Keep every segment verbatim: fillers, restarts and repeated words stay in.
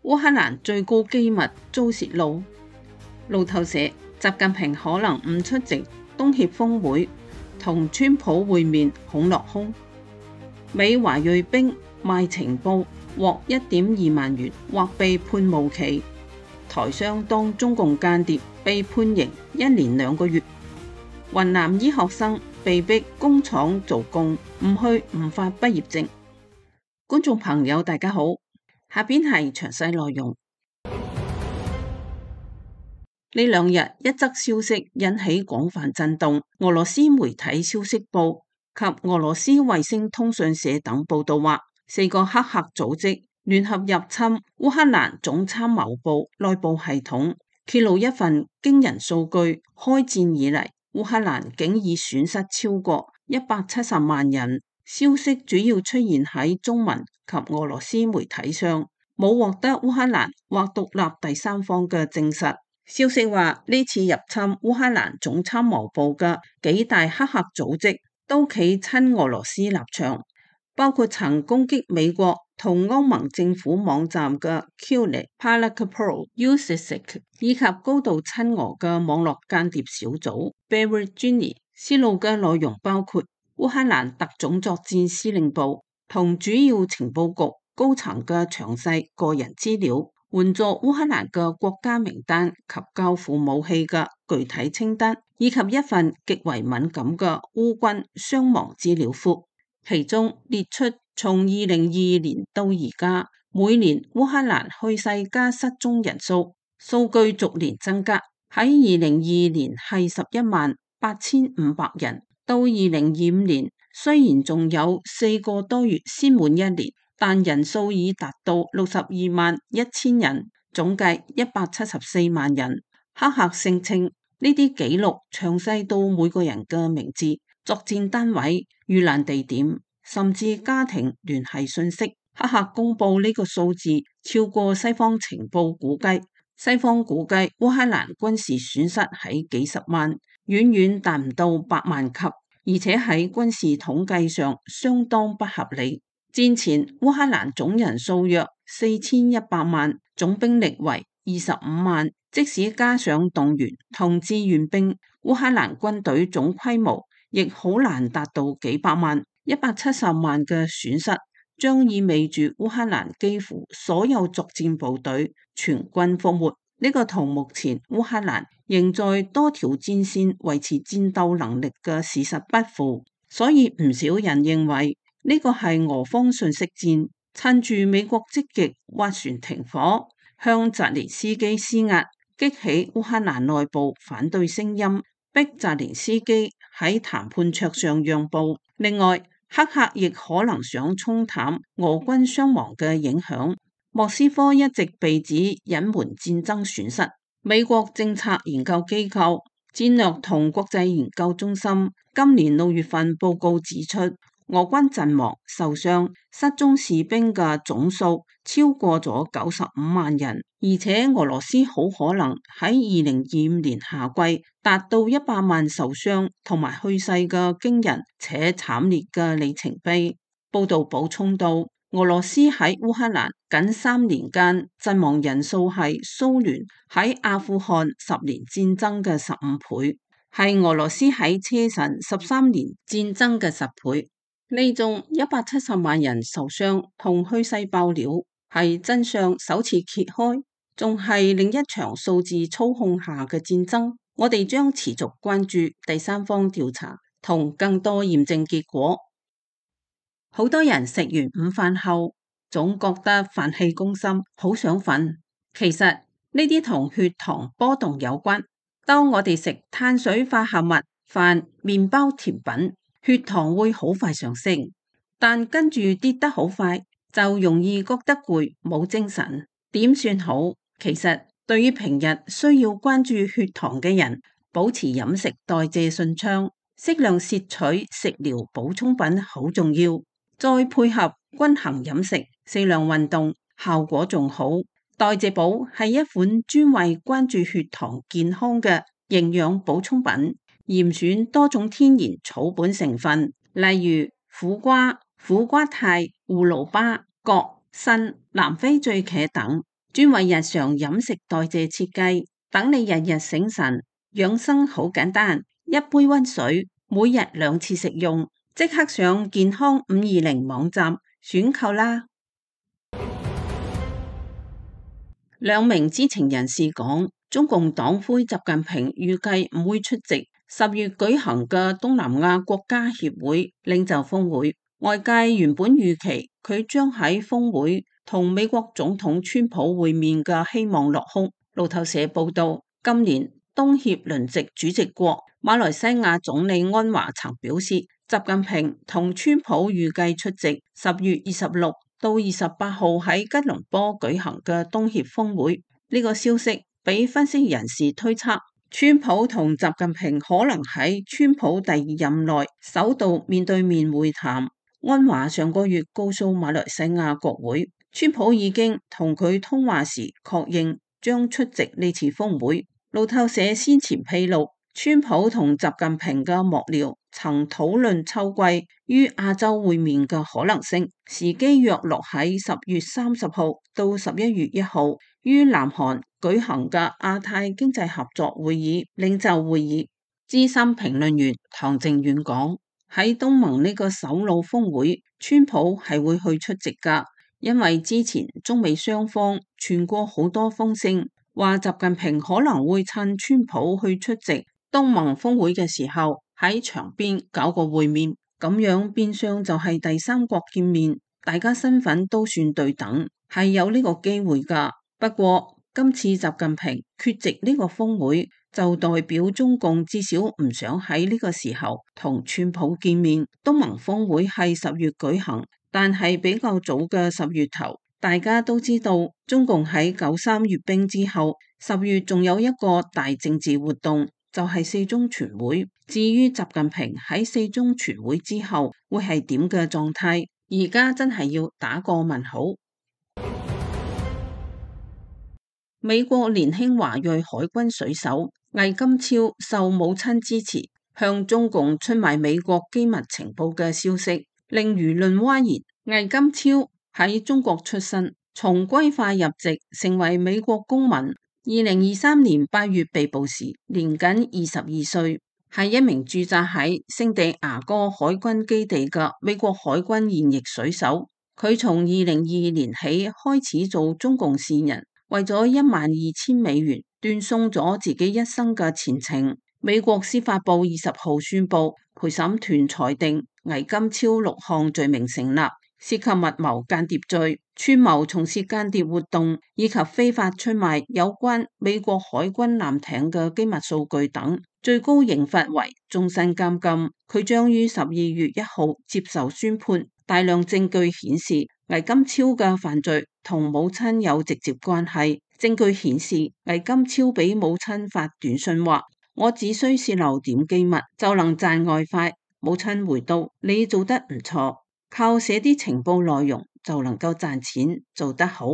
烏克蘭最高機密遭泄露。路透社：習近平可能唔出席東協峰會，同川普會面恐落空。美華裔兵賣情報獲一點二萬元，或被判無期。台商當中共間諜被判刑一年兩個月。雲南醫學生被逼工廠做工，唔去唔發畢業證。觀眾朋友大家好，下邊係詳細內容。呢兩日一則消息引起廣泛震動，俄羅斯媒體消息報及俄羅斯衛星通訊社等報道話，四個黑客組織聯合入侵烏克蘭總參謀部內部系統，揭露一份驚人數據：開戰以嚟，烏克蘭竟已損失超過一百七十萬人。消息主要出現喺中文及俄羅斯媒體上，冇獲得烏克蘭或獨立第三方嘅證實。消息話，呢次入侵烏克蘭總參謀部嘅幾大黑客組織都企親俄羅斯立場，包括曾攻擊美國同歐盟政府網站嘅 Kulik Palakpro Usisik 以及高度親俄嘅網絡間諜小組 Berezhny。泄露嘅內容包括烏克蘭特種作戰司令部同主要情報局高層嘅詳細個人資料，援助烏克蘭嘅國家名單及交付武器嘅具體清單，以及一份極為敏感嘅烏軍傷亡資料庫，其中列出從二零二二年到而家每年烏克蘭去世加失蹤人數，數據逐年增加。喺二零二二年係十一萬八千五百人，到二零二五年雖然仲有四個多月先滿一年，但人數已達到六十二萬一千人，總計一百七十四萬人。黑客聲稱呢啲記錄詳細到每個人嘅名字、作戰單位、遇難地點，甚至家庭聯繫信息。黑客公布呢個數字超過西方情報估計，西方估計烏克蘭軍事損失喺幾十萬，遠遠達唔到百萬級，而且喺軍事統計上相當不合理。戰前烏克蘭總人數約四千一百萬，總兵力為二十五萬，即使加上動員同志願兵，烏克蘭軍隊總規模亦好難達到幾百萬。一百七十萬嘅損失將意味住烏克蘭幾乎所有作戰部隊全軍覆沒。呢個同目前烏克蘭仍在多條戰線維持戰鬥能力嘅事實不符，所以唔少人認為呢個係俄方信息戰，趁住美國積極斡旋停火，向澤連斯基施壓，激起烏克蘭內部反對聲音，逼澤連斯基喺談判桌上讓步。另外，黑客亦可能想沖淡俄軍傷亡嘅影響。莫斯科一直被指隱瞞戰爭損失。美國政策研究機構戰略同國際研究中心今年六月份報告指出，俄軍陣亡、受傷、失蹤士兵嘅總數超過咗九十五萬人，而且俄羅斯好可能喺二零二五年夏季達到一百萬受傷同埋去世嘅驚人且慘烈嘅里程碑。報道補充到，俄羅斯喺烏克蘭僅三年間陣亡人數係蘇聯喺阿富汗十年戰爭嘅十五倍，係俄羅斯喺車臣十三年戰爭嘅十倍。呢種一百七十萬人受傷同去世爆料係真相首次揭開，仲係另一場數字操控下嘅戰爭。我哋將持續關注第三方調查同更多驗證結果。好多人食完午飯後總覺得飯氣攻心，好想瞓。其實呢啲同血糖波動有關。當我哋食碳水化合物、飯、麵包、甜品，血糖會好快上升，但跟住跌得好快，就容易覺得攰，冇精神。點算好？其實對於平日需要關注血糖嘅人，保持飲食代謝順暢，適量攝取食療補充品好重要。再配合均衡飲食、適量運動，效果仲好。代謝寶係一款專為關注血糖健康嘅營養補充品，嚴選多種天然草本成分，例如苦瓜、苦瓜肽、胡蘿蔔、葛、參、南非醉茄等，專為日常飲食代謝設計，等你日日醒神。養生好簡單，一杯溫水，每日兩次食用，即刻上健康五二零網站選購啦。兩名知情人士講，中共黨魁習近平預計唔會出席十月舉行嘅東南亞國家協會領袖峰會。外界原本預期佢將喺峰會同美國總統川普會面嘅希望落空。路透社報道，今年東協輪值主席國馬來西亞總理安華曾表示，習近平同川普預計出席十月二十六到二十八號喺吉隆坡舉行嘅東協峰會。呢個消息俾分析人士推測，川普同習近平可能喺川普第二任內首度面對面會談。安華上個月告訴馬來西亞國會，川普已經同佢通話時確認將出席呢次峰會。路透社先前披露，川普同習近平嘅幕僚曾討論秋季於亞洲會面嘅可能性，時機約落喺十月三十號到十一月一號於南韓舉行嘅亞太經濟合作會議領袖會議。資深評論員唐靖遠講，喺東盟呢個首腦峰會，川普係會去出席噶，因為之前中美雙方傳過好多風聲，話習近平可能會趁川普去出席東盟峰會嘅時候喺場邊搞個會面，咁樣變相就係第三國見面，大家身份都算對等，係有呢個機會噶。不過今次習近平缺席呢個峰會，就代表中共至少唔想喺呢個時候同川普見面。東盟峰會係十月舉行，但係比較早嘅十月頭，大家都知道中共喺九三閱兵之後，十月仲有一個大政治活動，就係四中全會。至於習近平喺四中全會之後會係點嘅狀態，而家真係要打個問號。美國年輕華裔海軍水手魏金超受母親支持，向中共出賣美國機密情報嘅消息，令輿論譁然。魏金超喺中國出生，從歸化入籍，成為美國公民。二零二三年八月被捕時，年僅二十二歲，係一名駐紮喺聖地牙哥海軍基地嘅美國海軍現役水手。佢從二零二二年起開始做中共線人，為咗一萬二千美元斷送咗自己一生嘅前程。美國司法部二十號宣布，陪審團裁定魏金超六項罪名成立，涉及密謀間諜罪、串謀從事間諜活動以及非法出賣有關美國海軍艦艇嘅機密數據等，最高刑罰為終身監禁。佢將於十二月一號接受宣判。大量證據顯示魏金超嘅犯罪同母親有直接關係。證據顯示魏金超俾母親發短信話：我只需泄漏點機密就能賺外快。母親回道：你做得唔錯，靠寫啲情報內容就能夠賺錢，做得好。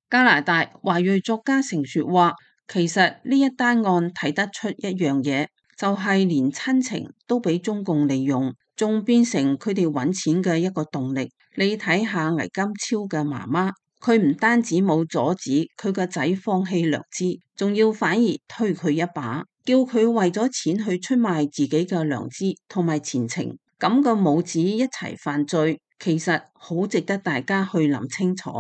加拿大華裔作家成雪話，其實呢一單案睇得出一樣嘢，就係連親情都俾中共利用，仲變成佢哋揾錢嘅一個動力。你睇下魏金超嘅媽媽，佢唔單止冇阻止佢個仔放棄良知，仲要反而推佢一把，叫佢為咗錢去出賣自己嘅良知同埋前程。咁個母子一齊犯罪，其實好值得大家去諗清楚。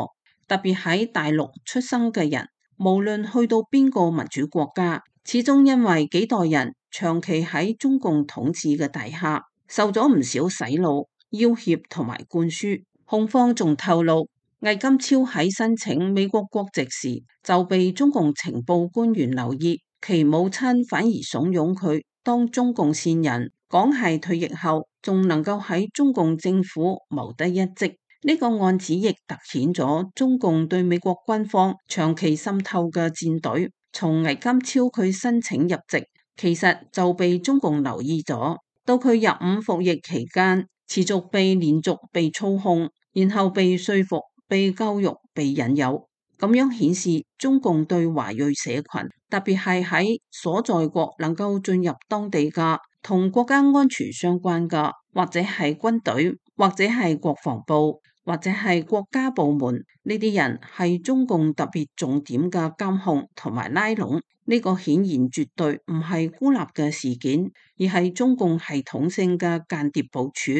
特別喺大陸出生嘅人，無論去到邊個民主國家，始終因為幾代人長期喺中共統治嘅底下，受咗唔少洗腦、要挾同埋灌輸。控方仲透露，魏金超喺申請美國國籍時就被中共情報官員留意，其母親反而慫恿佢當中共線人，講係退役後仲能夠喺中共政府謀得一職。呢個案子亦凸顯咗中共對美國軍方長期滲透嘅戰隊。從魏金超佢申請入籍，其實就被中共留意咗，到佢入伍服役期間，持續被連續被操控，然後被說服、被教育、被引誘，咁樣顯示中共對華裔社群，特別係喺所在國能夠進入當地嘅同國家安全相關嘅，或者係軍隊，或者係國防部，或者係國家部門，呢啲人係中共特別重點嘅監控同埋拉攏。呢個顯然絕對唔係孤立嘅事件，而係中共系統性嘅間諜部署。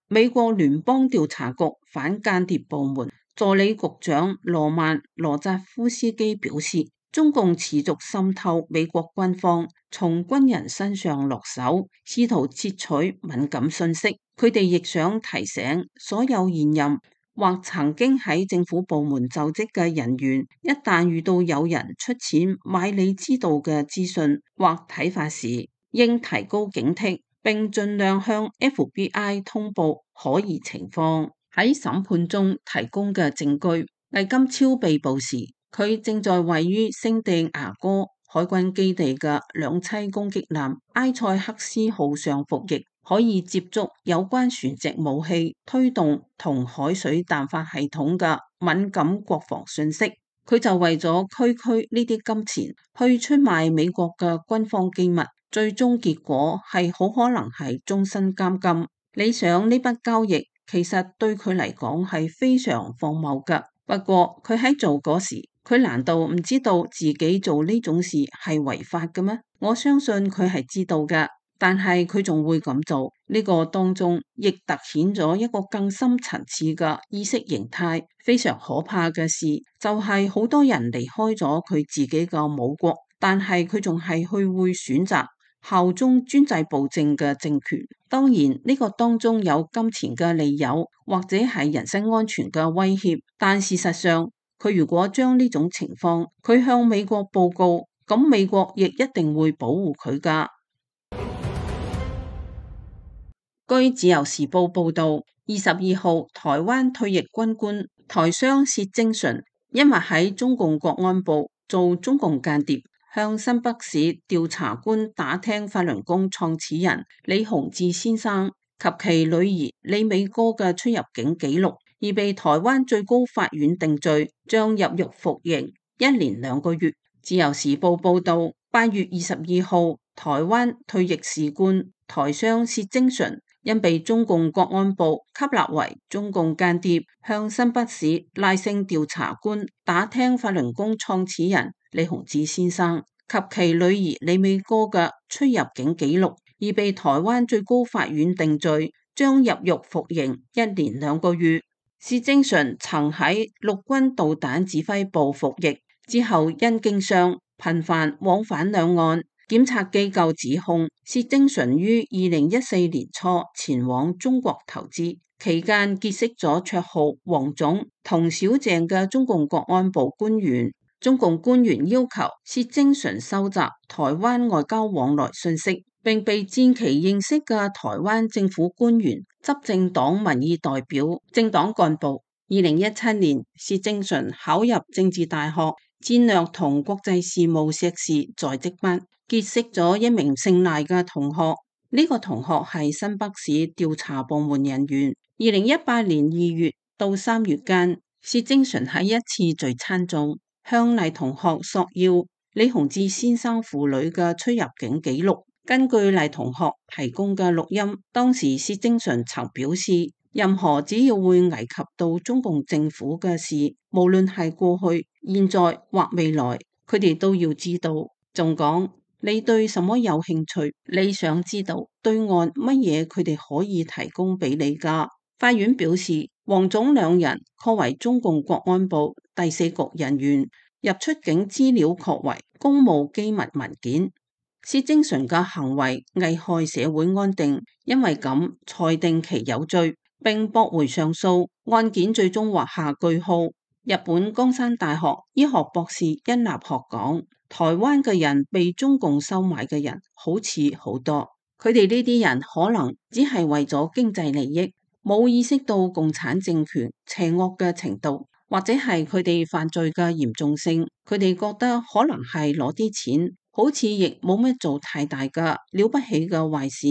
美國聯邦調查局反間諜部門助理局長羅曼羅扎夫斯基表示，中共持續滲透美國軍方，從軍人身上落手，試圖竊取敏感信息。佢哋亦想提醒所有現任或曾經喺政府部門就職嘅人員，一旦遇到有人出錢買你知道嘅資訊或睇法時，應提高警惕，並盡量向 F B I 通報可疑情況。喺審判中提供嘅證據，魏金超被捕時，佢正在位於聖地牙哥海軍基地嘅兩棲攻擊艦埃塞克斯號上服役，可以接觸有關船隻武器推動同海水彈發系統嘅敏感國防信息。佢就為咗區區呢啲金錢去出賣美國嘅軍方機密，最終結果係好可能係終身監禁。你想呢筆交易其實對佢嚟講係非常荒謬㗎。不過佢喺做嗰時，佢難道唔知道自己做呢種事係違法嘅咩？我相信佢係知道㗎。但係佢仲會咁做，呢個當中亦凸顯咗一個更深層次嘅意識形態。非常可怕嘅事就係好多人離開咗佢自己嘅母國，但係佢仲係去會選擇效忠專制暴政嘅政權。當然呢個當中有金錢嘅利誘，或者係人身安全嘅威脅，但事實上佢如果將呢種情況佢向美國報告，咁美國亦一定會保護佢㗎。據自由時報報道，二十二號台灣退役軍官台商薛精純，因為喺中共國安部做中共間諜，向新北市調查官打聽法輪功創始人李洪志先生及其女兒李美歌嘅出入境記錄，而被台灣最高法院定罪，將入獄服刑一年兩個月。自由時報報道，八月二十二號，台灣退役士官台商薛精純因被中共國安部吸納為中共間諜，向新北市賴姓調查官打聽法輪功創始人李洪志先生及其女兒李美歌嘅出入境記錄，而被台灣最高法院定罪，將入獄服刑一年兩個月。薛精純曾喺陸軍導彈指揮部服役，之後因經商頻繁往返兩岸。檢察機構指控薛精純於二零一四年初前往中國投資，期間結識咗綽號黃總同小鄭嘅中共國安部官員。中共官員要求薛精純收集台灣外交往來信息，並被戰期認識嘅台灣政府官員、執政黨民意代表、政黨幹部。二零一七年，薛精純考入政治大學戰略同國際事務碩士在職班，結識咗一名姓賴嘅同學，呢、這個同學係新北市調查部門人員。二零一八年二月到三月間，薛精純喺一次聚餐中向賴同學索要李洪志先生父女嘅出入境記錄。根據賴同學提供嘅錄音，當時薛精純曾表示，任何只要會危及到中共政府嘅事，無論係過去、現在或未來，佢哋都要知道。仲講，你對什麼有興趣？你想知道對岸乜嘢佢哋可以提供俾你㗎？法院表示，黃總兩人確為中共國安部第四局人員，入出境資料確為公務機密文件。薛精純嘅行為危害社會安定，因為咁裁定其有罪，並駁回上訴，案件最終畫下句號。日本岡山大學醫學博士殷立學講，台灣嘅人被中共收買嘅人好似好多，佢哋呢啲人可能只係為咗經濟利益，冇意識到共產政權邪惡嘅程度，或者係佢哋犯罪嘅嚴重性。佢哋覺得可能係攞啲錢，好似亦冇咩做太大嘅了不起嘅壞事。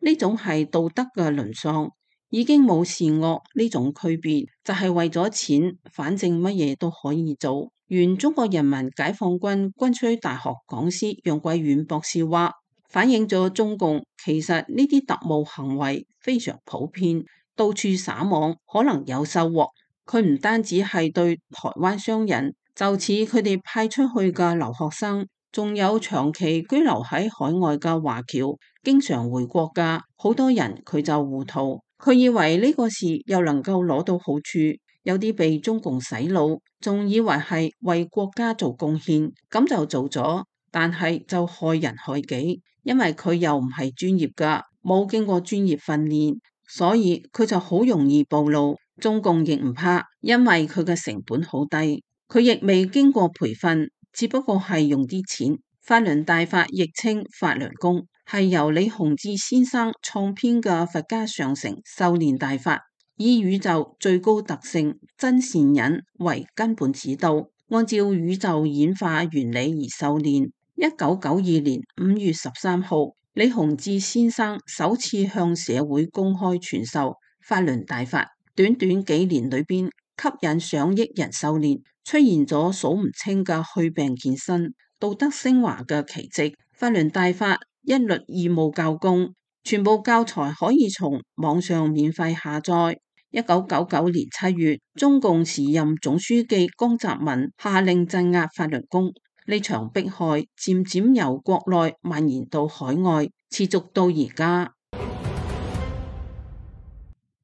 呢種係道德嘅淪喪，已經冇善惡呢種區別，就係為咗錢，反正乜嘢都可以做。原中國人民解放軍軍需大學講師楊貴遠博士話，反映咗中共其實呢啲特務行為非常普遍，到處撒網，可能有收穫。佢唔單止係對台灣商人，就似佢哋派出去嘅留學生，仲有長期居留喺海外嘅華僑，經常回國嘅好多人，佢就糊塗。佢以為呢個事又能夠攞到好處，有啲被中共洗腦，仲以為係為國家做貢獻，咁就做咗，但係就害人害己，因為佢又唔係專業噶，冇經過專業訓練，所以佢就好容易暴露。中共亦唔怕，因為佢嘅成本好低，佢亦未經過培訓，只不過係用啲錢。法輪大法亦稱法輪功，係由李洪志先生創編嘅佛家上乘修煉大法，以宇宙最高特性真善忍為根本指導，按照宇宙演化原理而修煉。一九九二年五月十三號，李洪志先生首次向社會公開傳授法輪大法。短短幾年裏邊，吸引上億人修煉，出現咗數唔清嘅去病健身、道德升華嘅奇蹟。法輪大法一律義務教功，全部教材可以從網上免費下載。一九九九年七月，中共時任總書記江澤民下令鎮壓法輪功，呢場迫害漸漸由國內蔓延到海外，持續到而家。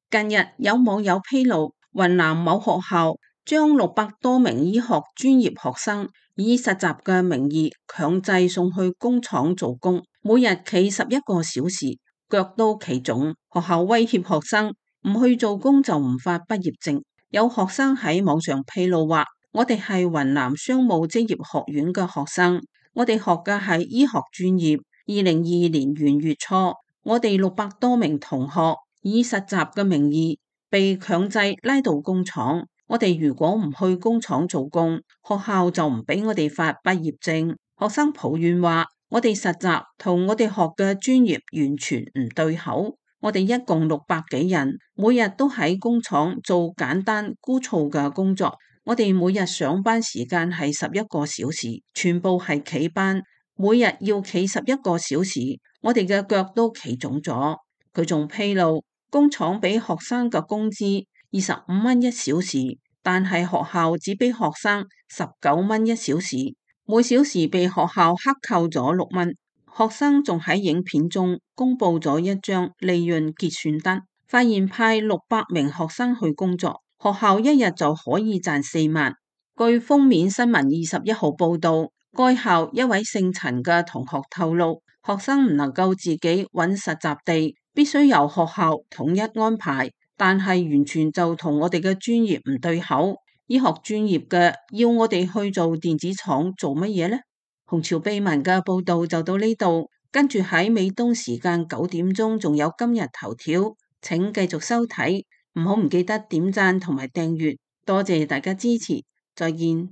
近日有網友披露，雲南某學校將六百多名醫學專業學生以實習嘅名義強制送去工廠做工，每日企十一個小時，腳都企腫。學校威脅學生唔去做工就唔發畢業證。有學生喺網上披露話：我哋係雲南商務職業學院嘅學生，我哋學嘅係醫學專業。二零二二年元月初，我哋六百多名同學以實習嘅名義被強制拉到工廠，我哋如果唔去工廠做工，學校就唔俾我哋發畢業證。學生抱怨話：我哋實習同我哋學嘅專業完全唔對口。我哋一共六百幾人，每日都喺工廠做簡單枯燥嘅工作。我哋每日上班時間係十一個小時，全部係企班，每日要企十一個小時，我哋嘅腳都企腫咗。佢仲披露，工廠俾學生嘅工資二十五蚊一小時，但係學校只俾學生十九蚊一小時，每小時被學校克扣咗六蚊。學生仲喺影片中公布咗一張利潤結算單，發現派六百名學生去工作，學校一日就可以賺四萬。據封面新聞二十一號報道，該校一位姓陳嘅同學透露，學生唔能夠自己揾實習地，必須由學校統一安排，但係完全就同我哋嘅專業唔對口。醫學專業嘅要我哋去做電子廠做乜嘢呢？紅潮秘聞嘅報道就到呢度，跟住喺美東時間九點鐘仲有今日頭條，請繼續收睇，唔好唔記得點讚同埋訂閱，多謝大家支持，再見。